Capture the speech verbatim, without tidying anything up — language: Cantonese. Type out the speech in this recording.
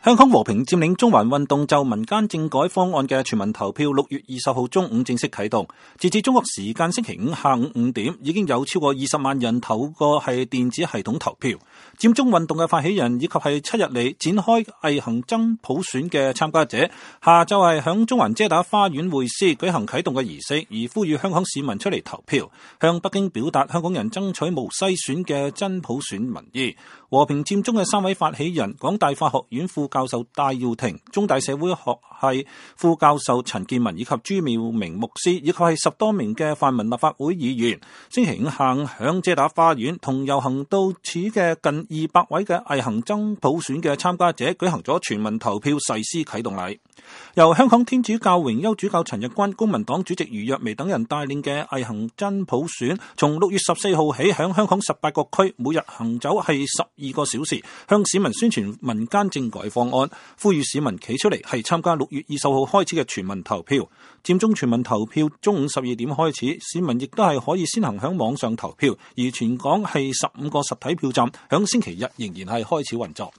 香港和平佔領中環運動就民間政改方案嘅全民投票，六月二十號中午正式啟動。截至中國時間星期五下午五點，已經有超過二十萬人透過係電子系統投票。佔中運動嘅發起人以及係七日嚟展開毅行爭普選嘅參加者，下晝係響中環遮打花園會師舉行啟動嘅儀式，而呼籲香港市民出嚟投票，向北京表達香港人爭取無篩選嘅真普選民意。和平佔中嘅三位發起人，港大法學院副教授戴耀廷、中大社會學系副教授陳健民以及朱妙明牧師，以及係十多名嘅泛民立法會議員，星期五下午響遮打花園同遊行到此嘅近二百位嘅毅行爭普選嘅參加者舉行咗全民投票誓師啟動禮。由香港天主教榮休主教陳日君、公民黨主席余若薇等人帶領嘅毅行真普選，從六月十四號起響香港十八個區每日行走係十二個小時，向市民宣傳民間政改方案，呼籲市民企出嚟係參加六月二十號開始嘅全民投票。佔中全民投票中午十二點開始，市民亦都係可以先行響網上投票，而全港係十五個實體票站響星期日仍然係開始運作。